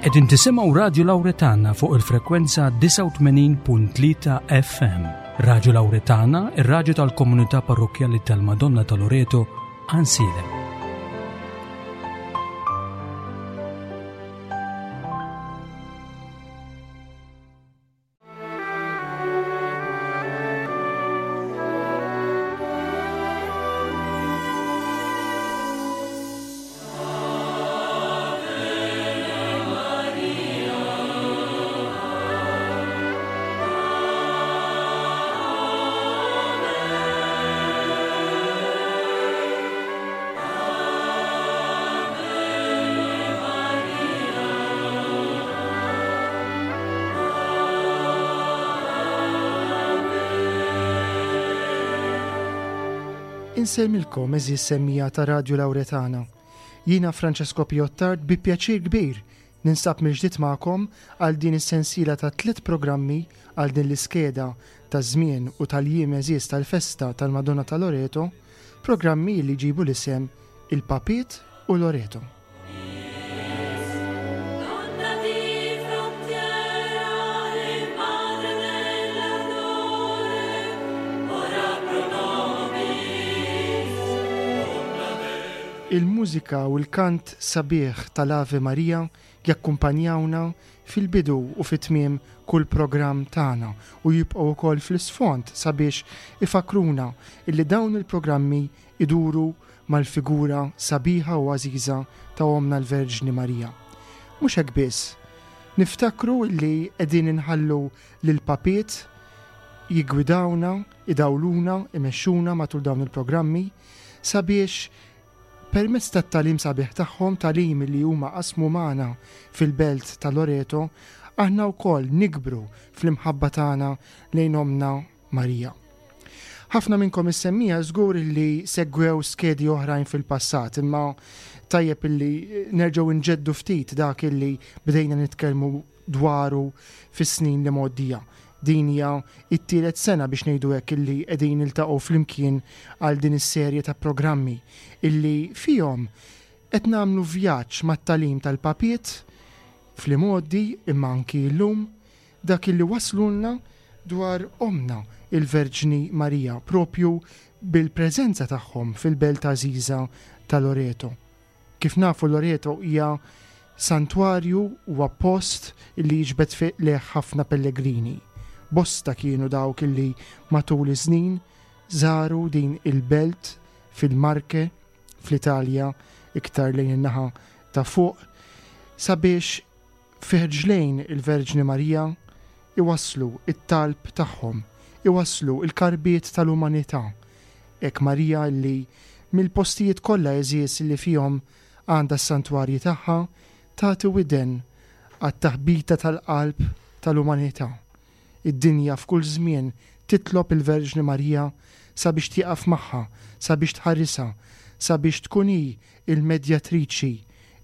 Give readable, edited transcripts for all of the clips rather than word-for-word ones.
Qegħdin tisimgħu Radju Lawretana fuq il-frekwenza 89.3 FM. Radju Lawretana, ir-radju tal-komunità parrokkjali tal-Madonna ta' Loreto, Ansilem. Insellmilkom għeżież semmiegħa ta' Radju Lawretana. Jiena Francesco Piottard bi pjaċir kbir ninsab mill-ġdid magħkom għal din is-sensiela ta' tliet programmi għal din l-iskeda ta' żmien u tal-jiem għeżież tal-festa tal-Madonna ta' Loreto, programmi li jġibu l-isem Il-Papiet u Loreto. Il-mużika u l-kant sabiħ tal-Ave Maria jakkumpanjawna fil-bidu u fit-tmiem kull programm tagħna u jibqgħu wkoll fl-isfond sabiex ifakkruna illi dawn il-programmi iduru mal-figura sabiħa u għażiża ta' Ommna l-Verġni Marija. Mhux hekk biss, niftakru illi qegħdin inħallu lill-Papiet jiggwidawna, idawluna, imexxuna matul dawn il-programmi sabiex permezz tat-tagħlim sabiħ tagħhom, tagħlim li huma qasmu magħna fil-belt ta' Loreto, aħna wkoll nikbru fl-imħabba tagħna lejn Ommna Marija. Ħafna minnkom is-semmiegħa żgur li segwew skedi oħrajn fil-passat, imma tajjeb illi nerġgħu nġeddu ftit dak illi bdejna nitkellmu dwaru fis-snin li mgħoddija. Din hija t-tielet sena biex ngħidu hekk illi qegħdin niltaqgħu flimkien għal din is-serje ta' programmi illi fihom qed nagħmlu vjaġġ mat-tagħlim tal-Papiet fl-imgħoddi imma anki llum, dak illi wasslulna dwar Ommna il-Verġni Marija propju bil-preżenza tagħhom fil-belt għażiża ta' Loreto. Kif nafu Loreto hija santwarju huwa post illi jiġbed lejh ħafna pellegrini. Bosta kienu dawk illi matul iż-żnin żaru din il-belt fil-Marche, fl-Italja, iktar lejn in-naħa ta' fuq, sabiex Fi ħġlejn il-Verġni Marija iwasslu t-talb tagħhom, iwasslu l-karbiet tal-umanità. Hekk Marija li, mill-postijiet kollha għeżież li fihom għandha s-santwarji tagħha, tagħti widen għat-taħbita tal-qalb tal-umanità. Id-dinja f'kull żmien titlob il-Verġni Marija sabiex tieqaf magħha, sabiex tħarisha, sabiex tkun hi il-medjatriċi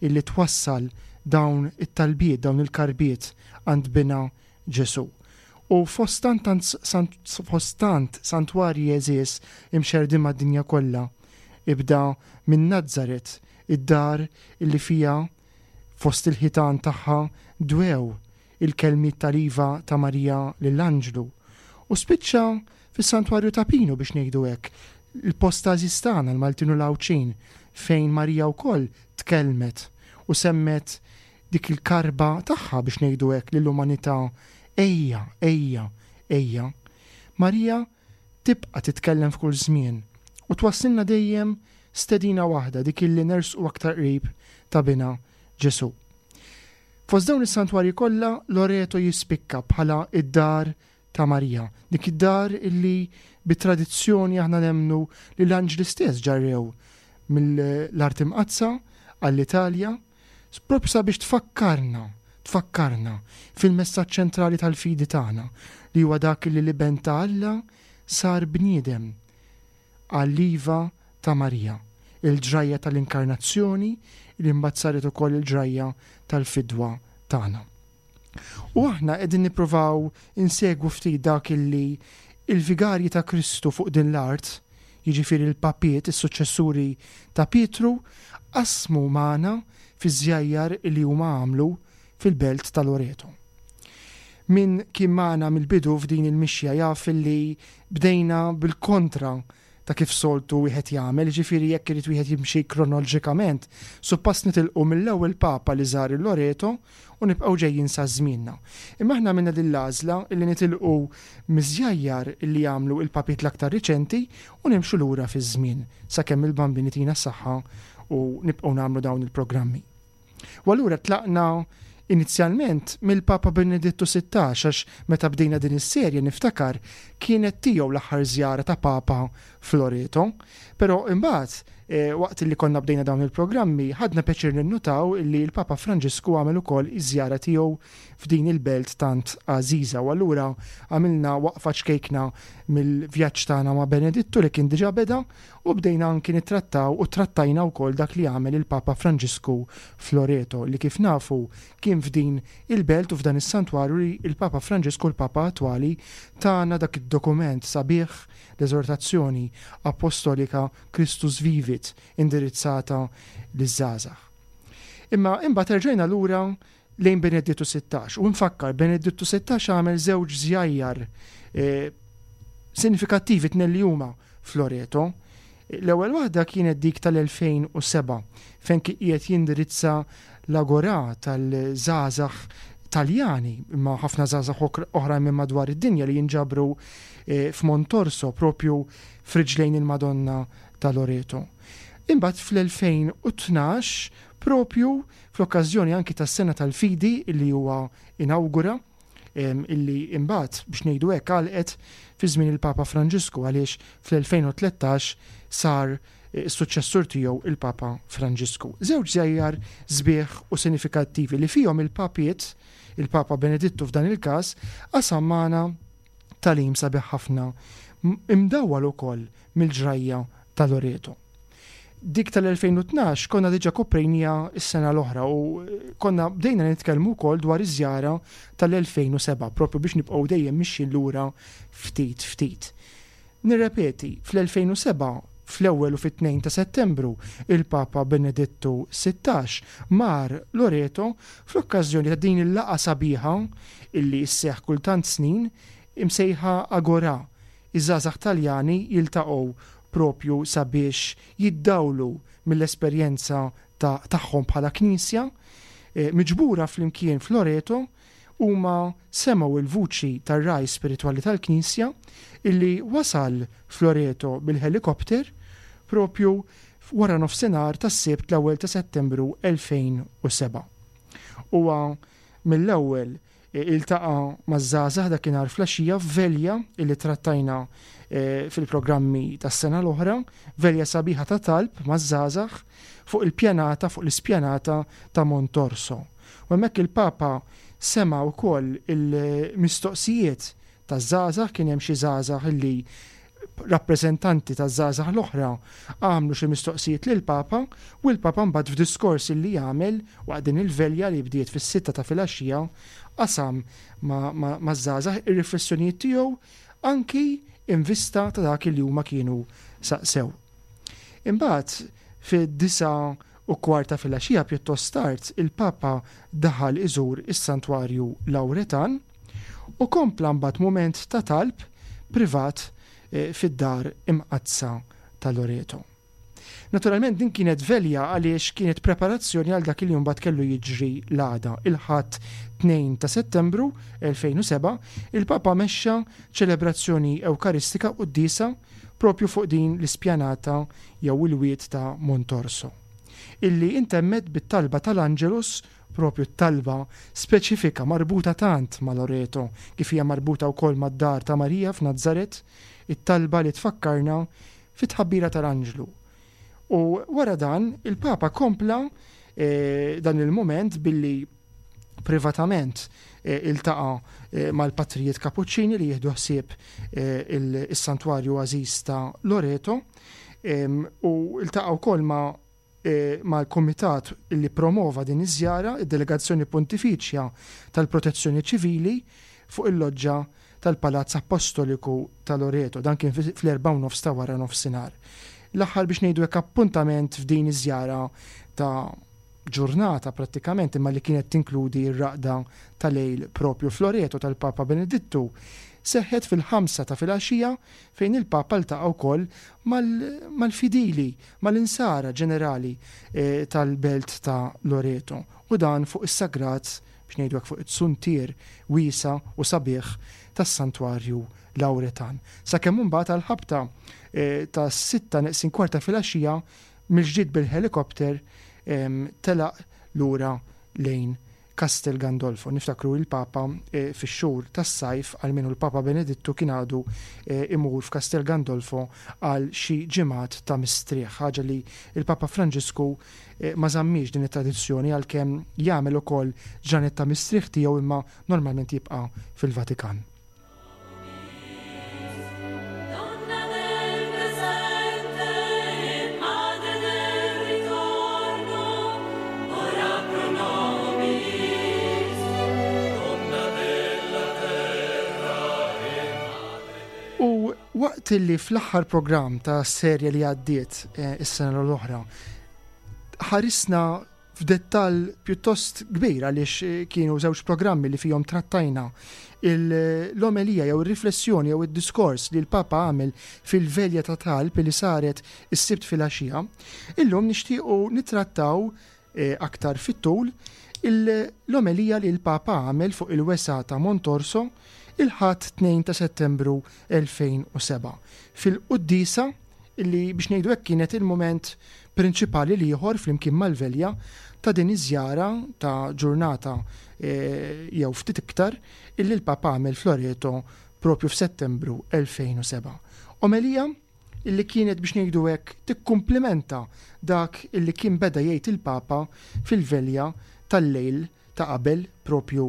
illi twassal dawn it-talbiet, dawn il-karbiet għand Binha Ġesù. U fost tant fost tant santwarji għeżież imxerrdin mad-dinja kollha, ibda minn Nazaret, id-dar illi fiha fost il-ħitan tagħha dwew il-kelmiet tal-iva ta' Marija lill-anġlu, u spiċċa fis-Santwarju ta' Pinu biex ngħidu hekk, il-post għażiż tagħna l-Maltin u l-Għawdxin fejn Marija wkoll tkellmet u semmet dik il-karba tagħha biex ngħidu hekk lill-umanità ejja, ejja, ejja. Marija tibqa' titkellem f'kull żmien u twasslilna dejjem stedina waħda dik illi nersqu aktar qrib ta' Binha Ġesù. Fost dawn is-santwarji kollha, Loreto jispikka bħala d-dar ta' Marija, dik id-dar illi bi tradizzjoni aħna nemmnu li l-anġli stess ġarrew mill-Art Imqaddsa għall-Italja, proprju sabiex tfakkarna, tfakkarna fil-messaġġ ċentrali tal-fidi tagħna, li huwa dak li l-Iben ta' Alla sar bniedem għall-iva ta' Marija, il-ġrajja tal-Inkarnazzjoni li mbagħad saret ukoll il-ġrajja tal-fidwa tagħna. U aħna qegħdin nippruvaw insegwu ftit dak illi il-vigarji ta' Kristu fuq din l-art, jiġifieri l-papiet, is-suċċessuri ta' Pietru, qasmu magħna fiż-żjajjar li huma għamlu. fil-belt ta' Loreto. Min kien magħna mill-bidu f'din il-mixja jaf illi bdejna bil-kontra ta' kif soltu wieħed jagħmel, jiġifieri jekk irid wieħed jimxi kronoloġikament, suppost nitilqu mill-ewwel Papa li żar il-Loreto u nibqgħu ġejjin sa żmienna. Imma aħna għamilna din l-għażla illi nitilqu miż-żjajjar illi għamlu il-papiet l-aktar riċenti u nimxu lura fiż-żmien sakemm il-Bambin itina s-saħħa u nibqgħu nagħmlu dawn il-programmi. U allura tlaqna inizjalment mill-Papa Benedittu 16 għax meta bdejna din is-serje niftakar kienet tiegħu l-aħħar żjara ta' Papa f'Loreto. Però imbagħad eh, waqt li konna bdejna dawn il-programmi ħadna pjaċir ninnutaw li l-Papa Franġisku għamel ukoll iż-żjara tiegħu f'din il-belt tant għażiża u allura għamilna waqfa ċkejkna mill-vjaġġ tagħna ma' Benedittu li kien diġà beda U bdejna anki nittrattaw u trattajna wkoll dak li għamel il-Papa Franġisku f'Loreto, li kif nafu kien f'din il-belt u f'dan is-santwarju li l-Papa Franġisku, l-Papa attwali, tana dak id-dokument sabiħ, l-Eżortazzjoni Appostolika Christus Vivit indirizzata liż-żgħażagħ. Imma imbagħad erġajna lura lejn Benedittu 16. U nfakkar, Benedittu 16 għamel żewġ żjajjar eh, sinifikattivi tnejn li huma f'Loreto. L-ewwel waħda kienet dik tal-2007 fejn kien qiegħed jindirizza l-agorà tal-żgħażagħ Taljani, imma ħafna żgħażagħ oħrajn minn madwar id-dinja li jinġabru eh, f'Montorso propju f'riġlejn il-Madonna ta' Loreto. Imbagħad fl-2012 propju fl-okkażjoni anki tas-Sena tal-Fidi li huwa inawgura, illi imbagħad biex ngħidu hekk għalqet fi żmien il-Papa Franġisku għaliex fl-2013 sar is-suċċessur tiegħu il-Papa Franġisku. Żewġ żjajjar sbieħ u sinifikattivi li fihom il-papiet, il-Papa Benedittu f'dan il-każ, qasam magħna tagħlim sabiħ ħafna imdawwal ukoll mill-ġrajja ta' Loreto. Dik tal-2012 konna diġà koprejniha s-sena l-oħra u konna bdejna nitkellmu wkoll dwar iż-żjara tal-2007 propju biex nibqgħu dejjem mixjin lura ftit ftit. Nirrepeti, fl-2007 fl-ewwel u fit-2 ta' Settembru il-Papa Benedittu 16 mar Loreto fl-okkażjoni ta' din il-laqgħa sabiħa illi sseħħ kull tant snin imsejħa Agorà. Iż-żgħażagħ Taljani jiltaqgħu propju sabiex jiddawlu mill-esperjenza ta' tagħhom bħala Knisja. Miġbura flimkien f'Loreto, huma semgħu l-vuċi tar-ragħaj spiritwali tal-Knisja illi wasal f'Loreto bil-ħelikopter propju wara nofsinhar tas-Sibt l-ewwel ta' Settembru 2007. Huwa mill-ewwel Iltaqa' maż-żgħażagħ dakinhar flaxija f'velja illi trattajna fil-programmi tas-sena l-oħra, velja sabiħa ta' talb maż-żgħażagħ fuq il-pjanata fuq l-ispjanata ta' Montorso. U hemmhekk il-Papa sema' wkoll il-mistoqsijiet taż-żgħażagħ, kien hemm xi żgħażagħ illi rappreżentanti taż-żgħażagħ l-oħra għamlu xi mistoqsijiet lill-Papa u l-Papa mbagħad f'diskors illi għamel waqt din il-velja li bdiet fis-sitta ta' filgħaxija qasam maż-żgħażagħ ir-riflessjonijiet tiegħu anki in vista ta' dak li huma kienu saqsew. Imbagħad fid-9:15 ta' filgħaxija pjuttost tard il-Papa daħal iżur is-Santwarju Lawretan u kompla mbagħad mument ta' talb privat fid-Dar Imqaddsa ta' Loreto. Naturalment din kienet velja għaliex kienet preparazzjoni għal dak li mbagħad kellu jiġri l-għada, il-Ħadd 2 ta' Settembru 2007, il-Papa mexxa ċelebrazzjoni Ewkaristika quddiesa propju fuq din l-ispjanata jew il-wied ta' Montorso, illi intemmet bit-talba tal-Angelus Propju t-talba speċifika marbuta tant ma' Loreto, kif hija marbuta wkoll mad-dar ta' Marija f'Nazaret, it-talba li tfakkarna fit-tħabbira tal-anġlu. U wara dan, il-Papa kompla dan il-mument billi privatament iltaqa' mal-patrijiet Kapuċċini li jieħdu ħsieb is-santwarju għażiż ta' Loreto u ltaqa' wkoll ma' mal-kumitat li ppromova din iż-żjara, id-Delegazzjoni Pontifiċja tal-Protezzjoni Ċivili, fuq il-loġġa tal-Palazz Appostoliku ta' Loreto. Dan kien fl-erbgħa u nofs ta' wara nofsinhar. L-aħħar biex ngħidu hekk appuntament f'din iż-żjara ta' ġurnata prattikament imma li kienet tinkludi r-raqda ta' lejl propju f'Loreto tal-Papa Benedittu, seħħet fil-ħamsa ta' filgħaxija fejn il-Papa ltaqa' wkoll mal-fidili, mal-insara ġenerali tal-belt ta' Loreto u dan fuq is-sagrat, biex ngħidu hekk fuq it-suntier wiesa' u sabiħ tas-Santwarju Lawretan. Sakemm imbagħad għall-ħabta tas-sitta neqsin kwart ta' filgħaxija mill-ġdid bil-ħelikopter telaq lura lejn Castel Gandolfo. Niftakru il-Papa fix-xhur tas-sajf, almenu l-Papa Benedittu kien għadu imur f'Castel Gandolfo għal xi ġimgħat ta' mistrieħ, ħaġa li l-Papa Franġisku ma żammiex din it-tradizzjoni għalkemm jagħmel ukoll ġranet ta' mistrieħ tiegħu imma normalment jibqa' fil-Vatikan. U waqt li fl-aħħar programm ta' serje li għaddiet eh, is-sena l-oħra, ħarisna f'dettall pjuttost kbir għaliex kienu żewġ programmi li fihom trattajna l-omelija jew ir-riflessjoni jew id-diskors li l-Papa għamel fil-velja ta' talb li saret is-Sibt filgħaxija. Illum nixtiequ nittrattaw eh, aktar fit-tul l-omelija li l-Papa għamel fuq il-wesgħa ta' Montorso il-Ħadd 2 ta' Settembru 2007 fil-quddiesa li biex ngħidu hekk kienet il-mument prinċipali l-ieħor flimkien mal-velja ta' din iż-żjara ta' ġurnata jew ftit iktar illi l-Papa għamel f'Loreto propju f'Settembru 2007. Omelija illi kienet biex ngħidu hekk tikkumplimenta dak illi kien beda jgħid il-Papa fil-velja tal-lejl ta' qabel propju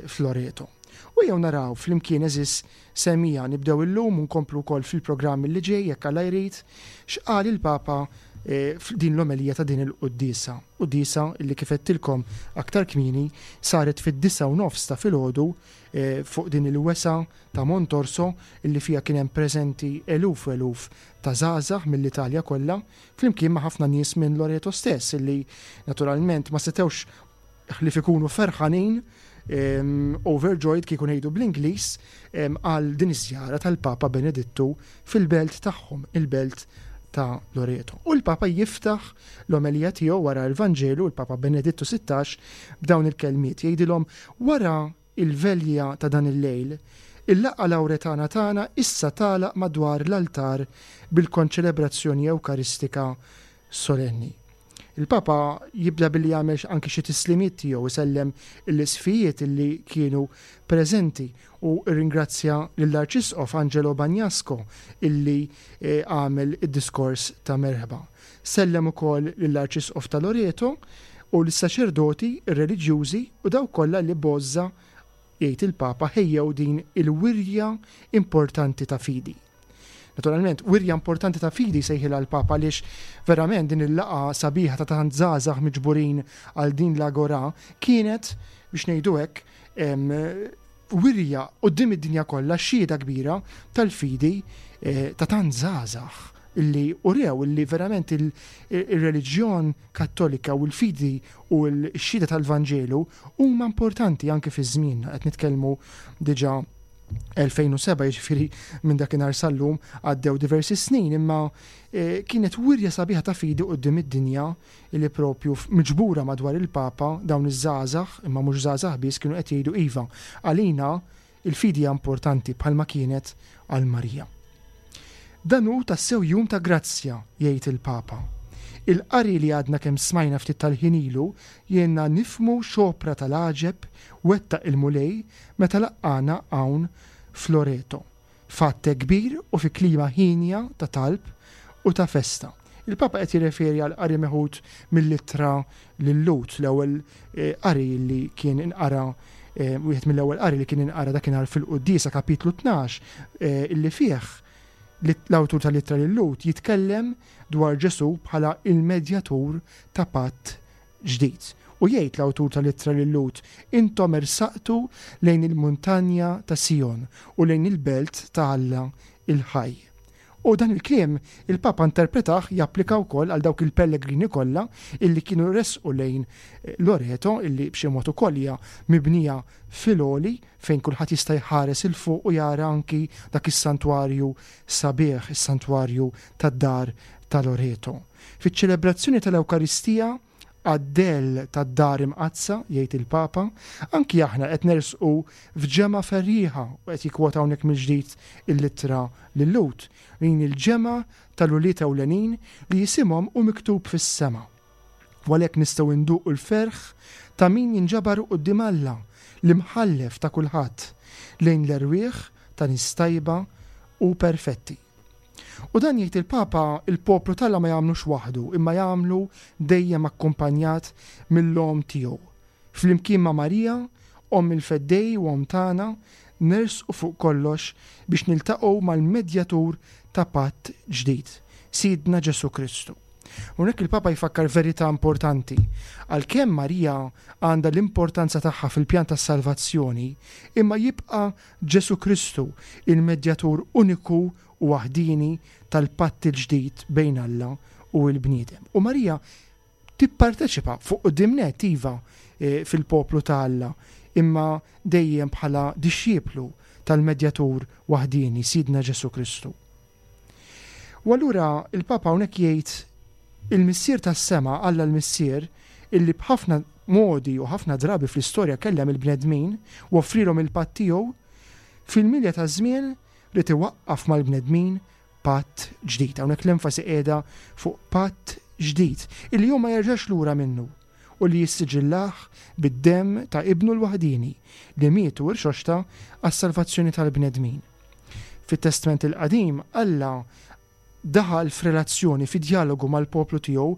f'Loreto. U ejjew naraw flimkien għeżież semmiegħa nibdew illum u nkomplu wkoll fil-programm li ġej jekk Alla jrid, x'qal il-Papa f'din l-omelija ta' din il-quddiesa. Quddiesa li kif għedtilkom aktar kmieni saret fid-disgħa u nofs ta' filgħodu fuq din il-wesgħa ta' Montorso li fiha kien hemm preżenti eluf u eluf ta' żgħażagħ mill-Italja kollha flimkien ma' ħafna nies minn Loreto stess li naturalment ma setgħux ħlief ikunu ferħanin, overjoyed kieku ngħidu bl-Ingliż, għal din iż-żjara tal-Papa Benedittu fil-belt tagħhom, il-belt ta' Loreto. U l-Papa jiftaħ l-omelija tiegħu wara l-Vanġelu, il-Papa Benedittu 16, b'dawn il-kelmiet jgħidilhom wara il-velja ta' dan il-lejl, il-laqgħa Lawretana tagħna issa tagħlaq madwar l-altar bil-konċelebrazzjoni Ewkaristika solenni. Il-Papa jibda billi jagħmel anki xi tislimiet tiegħu, isellem l-isqfijiet li kienu preżenti u rringrazzja lill-Arċisqof Angelo Bagnasco illi eh, għamel id-diskors ta' merħba. Sellem ukoll lill-Arċisqof ta' Loreto u lis-saċerdoti, ir-reliġjużi u dawk kollha li b'għożża, jgħid il-Papa, ħejjew din il-wirja importanti ta' fidi. Naturalment, wirja importanti ta' fidi sejħilha l-Papa għaliex verament din il-laqgħa sabiħa ta' tant żgħażagħ miġburin għal din l-agora kienet, biex ngħidu hekk, wirja quddiem id-dinja kollha xhieda kbira tal-fidi eh, ta' tant żgħażagħ illi urew illi verament il-reliġjon kattolika u l-fidi u l-xhieda tal-Vanġelu huma importanti anke fi żmienna qed nitkellmu diġà 2007 jiġifieri minn dakinhar sal-lum għaddew diversi snin imma eh, kienet wirja sabiħa ta' fidi quddiem id-dinja li propju miġbura madwar il-Papa dawn iż-żgħażagħ imma mhux żgħażagħ biss kienu qed jgħidu iva għalina il-fidi hija importanti bħalma kienet għal Marija. Dan hu tassew jum ta' grazzja, jgħid il-Papa. Il-qari li għadna kemm smajna ftit tal-ħin ilu jgħinna nifhmu x'opra tal-għaġeb wettaq il-Mulej meta laqqagħna hawn f'Loreto, f'għadd hekk kbir u fi klima hienja ta' talb u ta' festa. Il-Papa qed jirreferi għal qari meħud mill-Ittra lil-Lhud, l-ewwel eh, qari li kien inqara eh, wieħed mill-ewwel qari li kien inqara dakinhar fil-quddiesa kapitlu 12 eh, illi fih l-awtur tal-Ittra lil-Lhud jitkellem dwar Ġesù bħala il-medjatur ta' patt ġdid. U jgħid l-awtur tal-Ittra lil-Lhud, Intom ersaqtu lejn il-muntanja ta' Sijon u lejn il-belt ta' Alla il-ħaj. U dan il-kliem il-Papa interpretah japplika wkoll għal dawk il-pellegrini kollha illi kienu resqu lejn Loreto illi b'xi mod ukoll hija mibnija fil-għoli fejn kulħadd jista' jħares 'il fuq u jara anki dak is-santwarju sabiħ, is-santwarju tad-dar ta' Loreto. Fiċ-ċelebrazzjoni tal-Ewkaristija għad-dell tad-Dar Imqaddsa, jgħid il-Papa, anki aħna qed nersqu f'ġemgħa ferrieħa, u qed jikkwota hawnhekk mill-ġdid l-ittra lil-Lhud, din il-ġemgħa tal-ulied ewlenin li isimhom hu miktub fis-sema. U għalhekk nistgħu nduqu l-ferħ ta' min jinġabar quddiem Alla, l-Imħallef ta' kulħadd, lejn l-erwieħ ta' nies tajba u perfetti. U dan jgħid il-Papa, il-poplu t'Alla ma jagħmlux waħdu, imma jagħmlu dejjem akkumpanjat mill-Omm tiegħu. Flimkien ma' Marija, Omm il-Feddej u Omm tagħna, nersqu fuq kollox biex niltaqgħu mal-Medjatur ta' patt ġdid, Sidna Ġesù Kristu. Hawnhekk il-Papa jfakkar verità importanti. Għalkemm Marija għandha l-importanza tagħha fil-pjan tas-salvazzjoni, imma jibqa' Ġesù Kristu, il-Medjatur uniku u waħdieni tal-patt il-ġdid bejn Alla u l-bniedem. U Marija tipparteċipa fuq quddiem nett, iva, fil-poplu ta' Alla, imma dejjem bħala dixxiplu tal-Medjatur waħdieni, Sidna Ġesù Kristu. U allura il-Papa hawnhekk jgħid il-Missier tas-sema, Alla l-Missier, illi b'ħafna modi u ħafna drabi fl-istorja kellem il-bnedmin u offrilhom il-patt tiegħu, fil-milja taż-żmien ried iwaqqaf mal-bnedmin patt ġdid. Hawnhekk l-enfasi qiegħda fuq patt ġdid, illi hu ma jerġax lura minnu u li jissiġillah bid-demm ta' Ibnu l-waħdieni li miet u rxoxta għas-salvazzjoni tal-bnedmin. Fit-Testment il-Qadim, Alla daħal f'relazzjoni, fi djalogu mal-poplu tiegħu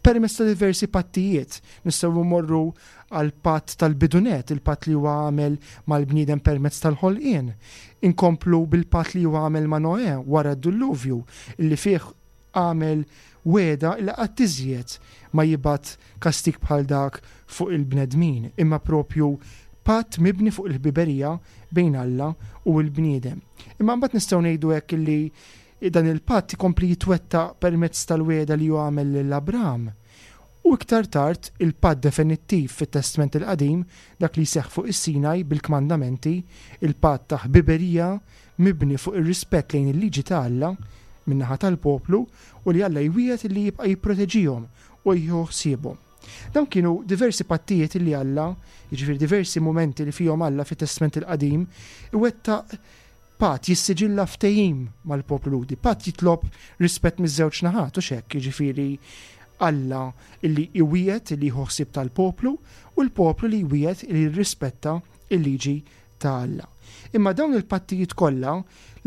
permezz ta' diversi pattijiet. Nistgħu mmorru għall-patt tal-bidunet, il-patt li huwa għamel mal-bniedem permezz tal-ħolqien. Inkomplu bil-patt li huwa għamel ma' Noè wara d-dulluvju, li fih għamel wegħda li qatt iżjed ma jibgħat kastig bħal dak fuq il-bnedmin, imma propju patt mibni fuq il-ħbiberija bejn Alla u l-bniedem. Imma mbagħad nistgħu ngħidu hekk li dan il-patt ikompli jitwettaq permezz tal-wegħda li hu għamel lil Abraham. U iktar tard il-patt definittiv fit-Testment il-Qadim, dak li jseħħ fuq is-Sinaj bil-kmandamenti, il-patt ta' ħbiberija mibni fuq ir-rispett lejn il-liġi ta' Alla min-naħa tal-poplu u li Alla jwiegħed li jibqa' jipproteġihom u jieħu ħsiebhom. Dawn kienu diversi pattijiet li Alla, jiġifieri diversi mumenti li fihom Alla fit-Testment il-Qadim iwettaq patt, jissiġilla ftehim mal-poplu Lhudi. Patt jitlob rispett miż-żewġ naħat, hux hekk, jiġifieri Alla li jwiegħed li jieħu ħsieb tal-poplu u l-poplu li jwiegħed li jirrispetta l-liġi ta' Alla. Imma dawn il-pattijiet kollha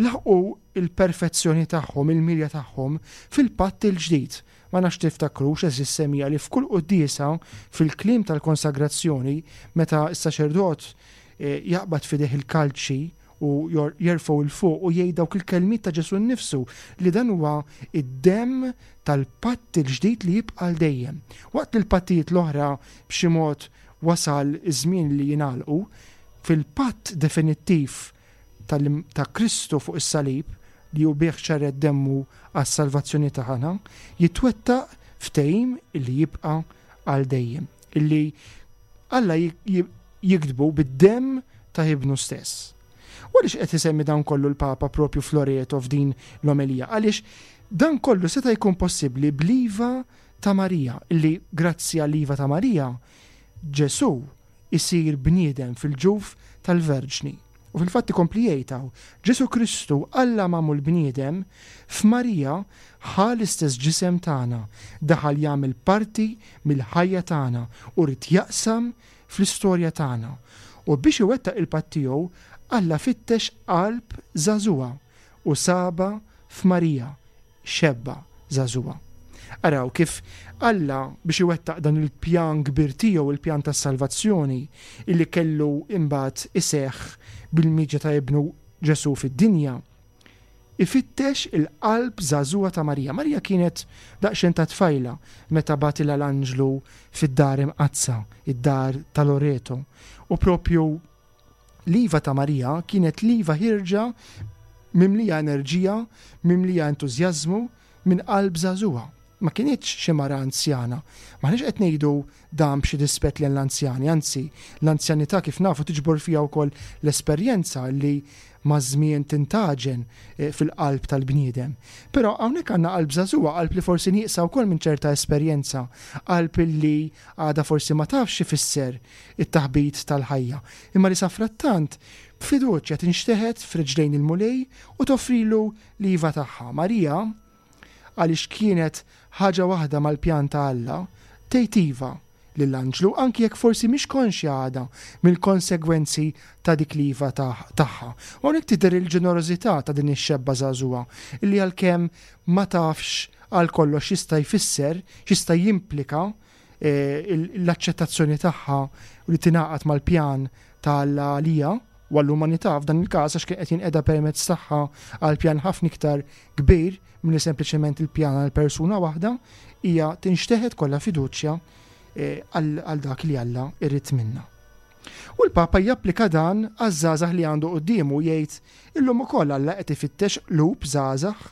laħqu l-perfezzjoni tagħhom, il-milja tagħhom fil-patt il-ġdid. Ma nafx tiftakrux, għeżież semmiegħa, li f'kull quddiesa, fil-kliem tal-konsagrazzjoni, meta s-saċerdot jaqbad f'idejh il-kalċi u jerfgħu 'l fuq u jgħid dawk il-kelmiet ta' Ġesù nnifsu li dan huwa d-demm tal-patt il-ġdid li jibqa' għal dejjem. Waqt li l-pattijiet l-oħra b'xi mod wasal iż-żmien li jingħalqu, fil-patt definittiv ta' Kristu fuq is-salib, li hu bih xerred demmu għas-salvazzjoni tagħna, jitwettaq ftehim li jibqa' għal dejjem, illi Alla jiktbu bid-demm ta' Ibnu stess. U għaliex qed isemmi dan kollu l-Papa propju f'Loreto f'din l-omelija? Għaliex dan kollu seta' jkun possibbli bl-iva ta' Marija, illi grazzi għall-iva ta' Marija, Ġesù isir bniedem fil-ġuf tal-Verġni. U fil-fatt ikompli jgħid hawn, Ġesù Kristu, Alla magħmul bniedem, f'Marija ħa l-istess ġisem tagħna, daħal jagħmel parti mill-ħajja tagħna u ried jaqsam fl-istorja tagħna. U biex iwettaq il-patt tiegħu, Alla fittex qalb żagħżugħa u sabha f'Marija, xebba żagħżugħa. Araw kif Alla biex iwettaq dan il-pjan kbir tiegħu, il-pjan tas-salvazzjoni, illi kellu imbagħad iseħħ bil-miġja ta' Ibnu Ġesù fid-dinja, ifittex il-qalb żagħżugħa ta' Marija. Marija kienet daqsxejn ta' tfajla meta bagħtilha l-anġlu fid-dar imqaddsa, id-dar ta' Loreto. U propju L-iva ta' Marija kienet l-iva ħierġa mimlija enerġija, mimlija entużjażmu, minn qalb żagħżugħa. Ma kinitx xi mara anzjana. M'aħniex qed ngħidu dan b'xi dispett lejn l-anzjani, anzi, l-anzjanità kif nafu tiġbor fiha wkoll l-esperjenza li maż-żmien tintgħaġen fil-qalb tal-bniedem. Però hawnhekk għandna qalb żagħżugħa, qalb li forsi nieqsa wkoll minn ċerta esperjenza, qalb li għadha forsi ma tafx x'ifisser it-taħbit tal-ħajja, imma li safrattant b'fiduċja tinxteħet f'riġlejn il-Mulej u toffrilu l-iva tagħha. Marija, għaliex kienet ħaġa waħda mal-pjan ta' Alla, tgħid iva lill-anġlu anki jekk forsi mhix konxja għadha mill-konsegwenzi ta' dik l-iva tagħha. U hawnhekk tidher il-ġenerożità ta' din ix-xebba żagħżugħa li għalkemm ma tafx għal kollox x'jista' jfisser, x'jista' jimplika l-aċċettazzjoni tagħha u li tingħaqad mal-pjan ta' Alla għaliha u għall-umanità f'dan il-każ għax kien qed jinqeda permezz tagħha għal pjan ħafna iktar kbir milli sempliċement il-pjan għal persuna waħda, hija tinxteħet kollha fiduċja għal dak li Alla jrid minna. U l-Papa japplika dan għaż-żgħażagħ li għandu quddiemu jgħid illum ukoll Alla qed ifittex qlub żgħażagħ,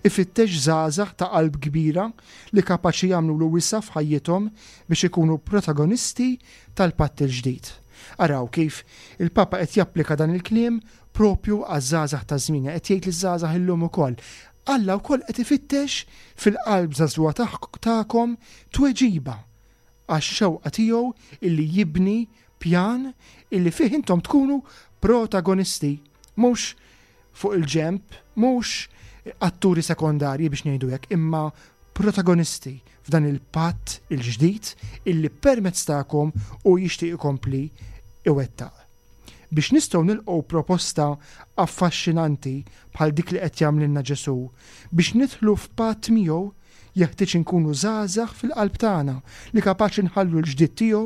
ifittex żgħażagħ ta' qalb kbira li kapaċi jagħmlulu wisa' f'ħajjithom biex ikunu protagonisti tal-Patt il-Ġdid. Araw kif il-Papa qed japplika dan il-kliem propju għaż-żgħażagħ ta' żmienna, qed jgħid liż-żgħażagħ illum ukoll, Alla wkoll qed ifittex fil-qalb żagħżugħa tagħkom tweġiba għax-xewqa tiegħu illi jibni pjan illi fih intom tkunu protagonisti, mhux fuq il-ġenb, mhux atturi sekondarji biex ngħidu hekk, imma protagonisti f'dan il-patt il-ġdid illi permezz tagħkom hu jixtieq ikompli iwettaq. Biex nistgħu nilqgħu proposta affaxxinanti bħal dik li qed jagħmlilna Ġesù, biex nidħlu f'patt miegħu, jeħtieġ inkunu żgħażagħ fil-qalb tagħna li kapaċi nħallu l-ġdid tiegħu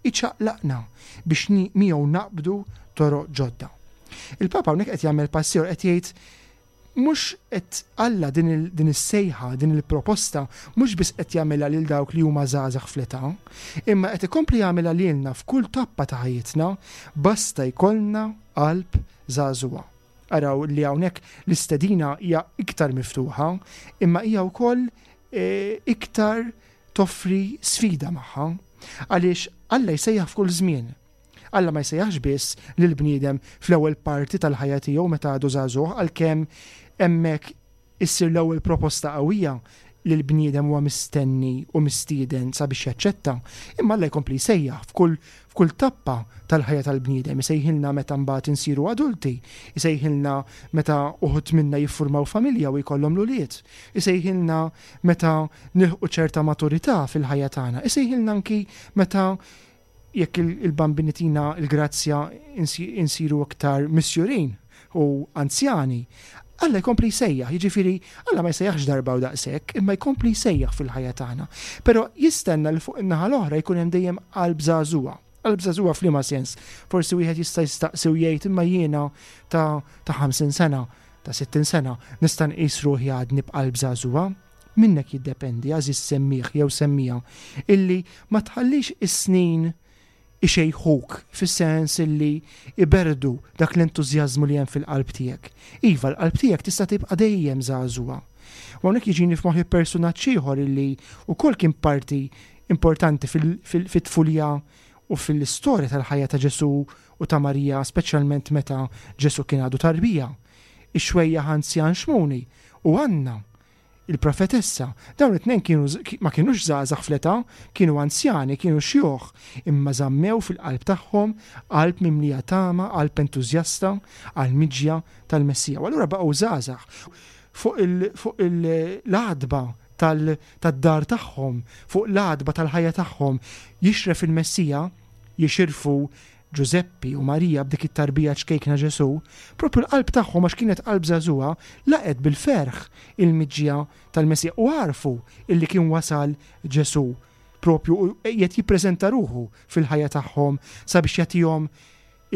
jċaqlaqna biex miegħu naqbdu toroq ġodda. Il-Papa hawnhekk qed jagħmel pass ieħor qed jgħid mhux qed Alla din, din is-sejħa, din il-proposta mhux biss qed jagħmilha lil dawk li huma żgħażagħ fl-età, imma qed ikompli jagħmilha lilna f'kull tappa ta' ħajjitna basta jkollna qalb żagħżugħa. Araw li hawnhekk l-istedina hija iktar miftuħa, imma hija wkoll e, iktar toffri sfida magħha. Għaliex Alla jsejjaħ f'kull żmien. Alla ma jsejjaħx biss lill-bniedem fl-ewwel parti tal-ħajja tiegħu meta għadu żagħżugħ għalkemm hemmhekk issir l-ewwel proposta qawwija li l-bniedem huwa mistenni u mistieden sabiex jaċċetta, imma Alla jkompli jsejjaħ f'kull f'kull tappa tal-ħajja tal-bniedem, isejħilna meta mbagħad insiru adulti, isejħilna meta uħud minna jiffurmaw familja u jkollhom l-ulied, isejħilna meta nilħqu ċerta maturità fil-ħajja tagħna, isejħilna anki meta jekk il-Bambin itina l-grazzja insiru aktar misjurin u anzjani, Alla jkompli jsejjaħ, jiġifieri Alla ma jsejjaħx darba u daqshekk, imma jkompli jsejjaħ fil-ħajja tagħna. Però jistenna li fuq in-naħa l-oħra jkun hemm dejjem qalb żagħżugħa. Qalb żagħżugħa f'liema sens? Forsi wieħed jista' jistaqsi u jgħid imma jiena ta' ta' 50 sena, ta' 60 sena, nista' nqis ruħi għadni b'qalb żagħżugħa? Minnek jiddependi, għażiż semmiegħ jew semmiegħa, illi ma tħallix is-snin ixejħuk fis-sens illi iberrdu dak l-entużjażmu li hemm fil-qalb tiegħek. Iva, l-qalb tiegħek tista' tibqa' dejjem żagħżugħa. U hawnhekk jiġini f'moħħi persunaġġ ieħor illi wkoll kien parti importanti fit-tfulija u fil-istorja tal-ħajja ta' Ġesù u ta' Marija, speċjalment meta Ġesù kien għadu tarbija. Ix-xwejjaħ anzjan Xmuni u Anna, il-profetessa. Dawn it-tnejn kienu ma kinux żgħażagħ fl-età, kienu anzjani, kienu xjuħ, imma żammew fil-qalb tagħhom qalb mimlija tama, qalb entużjasta għall-miġja tal-Messija. U allura baqgħu żgħażagħ fuq l-għatba tad-dar tagħhom, fuq l-għatba tal-ħajja tagħhom, jixref il-Messija, jixirfu Ġużeppi u Marija b'dik it-tarbija ċkejkna Ġesù, proprju l-qalb tagħhom għax kienet qalb żagħżugħa, laqgħet bil-ferħ il-miġja tal-Messija u għarfu illi kien wasal Ġesù proprju u qiegħed jippreżenta ruħu fil-ħajja tagħhom sabiex jagħtihom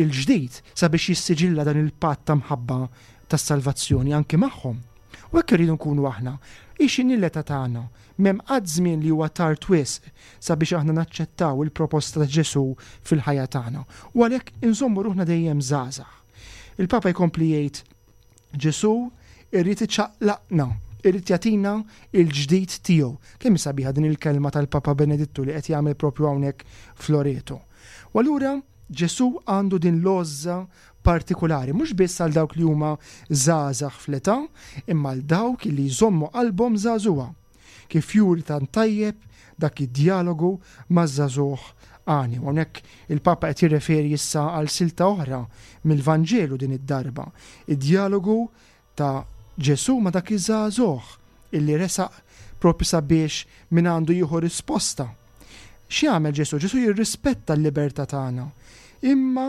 il-ġdid, sabiex jissiġilla dan il-patt ta' mħabba tas-salvazzjoni anki magħhom. U hekk irridu nkunu aħna. Hi x'inhi l-età tagħna, m'hemm qatt żmien li huwa tard wisq sabiex aħna naċċettaw il-proposta ta' Ġesù fil-ħajja tagħna u għalhekk inżommu ruħna dejjem żgħażagħ. Il-Papa jkompli jgħid Ġesù irrid iċaqlaqna, irrid jagħtina il-ġdid tiegħu. Kemm sabiħa din il-kelma tal-Papa Benedittu li qed jagħmel propju hawnhekk f'Loreto. U allura Ġesù għandu din l-għożża partikulari, mhux biss għal dawk li huma żgħażagħ fl-età, imma għal dawk li jżommu qalbhom żagħżugħa. Kif juri tant tajjeb dak id-djalogu maż-żagħżugħ għani. U hawnhekk il-Papa qed jirreferi issa għal silta oħra mill-Vanġelu din id-darba, id-djalogu ta' Ġesù ma' dak iż-żagħżugħ illi resaq propju sabiex minn għandu jieħu risposta. X'jagħmel Ġesù? Ġesù jirrispetta l-libertà tagħna, imma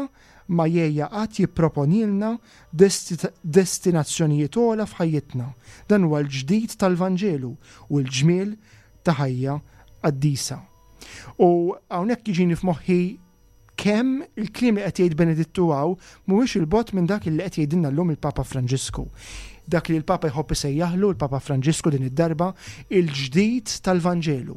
ma jgħejja qatt jipproponilna destinazzjonijiet ogħla f'ħajjitna. Dan huwa l-ġdid tal-Vanġelu u l-ġmiel ta' ħajja qaddisa. U hawnhekk jiġini f'moħħi kemm il-kliem li qed jgħid Benedittu hawn mhuwiex il-bogħod minn dak li qed jgħidilna llum il-Papa Franġisku. Dak li l-Papa jħobb isejjaħlu l-Papa Franġisku din id-darba il-ġdid tal-Vanġelu.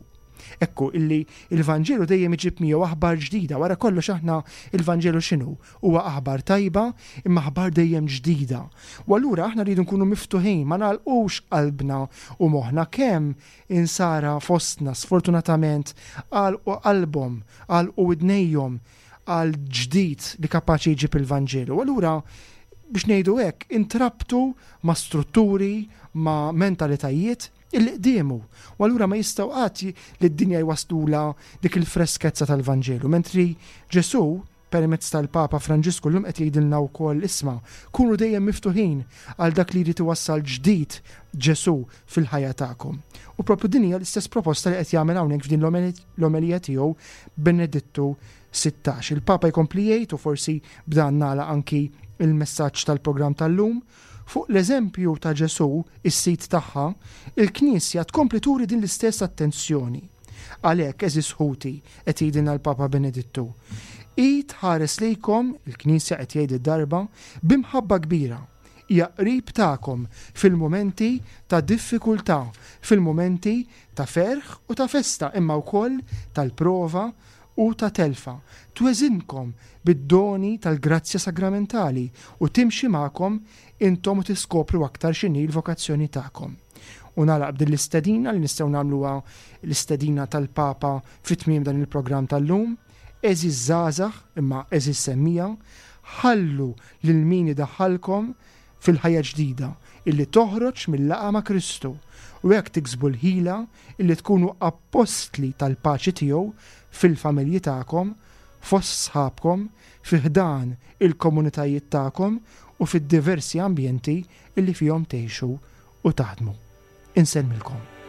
Ekku illi il-Vanġelu dejjem iġib miegħu aħbar ġdida, wara kollox aħna il-Vanġelu x'inhu? Huwa aħbar tajba imma aħbar dejjem ġdida. U allura aħna rridu nkunu miftuħin, ma nagħlqux qalbna u moħħna kemm Insara fostna sfortunatament għalqu qalbhom, għalqu widnejhom għal ġdid li kapaċi jġib il-Vanġelu. Allura biex ngħidu hekk, intrabtu ma' strutturi, ma' mentalitajiet illi qdiemu. U allura ma jistgħu qatt li d-dinja jwaslula dik il-freskezza tal-Vanġelu. Mentri Ġesù permezz tal-Papa Franġisku llum qed jgħidilna wkoll isma' kunu dejjem miftuħin għal dak li jrid iwassal ġdid Ġesù fil-ħajja tagħkom. U propju din hija l-istess proposta li qed jagħmel hawnhekk f'din l-omelija tiegħu Benedittu 16. Il-Papa jkompli jgħid u forsi b'dan nagħlaq anki il-messaġġ tal-programm tal-lum, fuq l-eżempju ta' Ġesù, is-sid tagħha, il-Knisja tkompli turi din l-istess attenzjoni. Għalhekk, għeżież ħuti, qed jgħidilna l-Papa Benedittu, hi tħares lejkom, il-Knisja qed jgħid id-darba, bi mħabba kbira. Hija qrib tagħkom fil-mumenti ta' diffikultà, fil-mumenti ta' ferħ u ta' festa imma wkoll tal-prova u ta' telfa. Tweżinkom bid-doni tal-grazzja sagramentali u timxi magħkom intom u tiskopru aktar x'inhi l-vokazzjoni tagħkom. U nagħlaq b'din l-istedina li nistgħu nagħmluha l-istedina tal-Papa fi tmiem dan il-programm tal-lum, Għeżież żgħażagħ, imma għeżież semmiegħa, ħallu lil min idaħħalkom fil-ħajja ġdida illi toħroġ mil-laqgħa ma' Kristu, u hekk tiksbu l-ħila illi tkunu appostli tal-paċi tiegħu fil-familji tagħkom, fost sħabkom, fi ħdan il-komunitajiet tagħkom u fid-diversi ambjenti illi fihom tgħixu u taħdmu. Insellmilkom.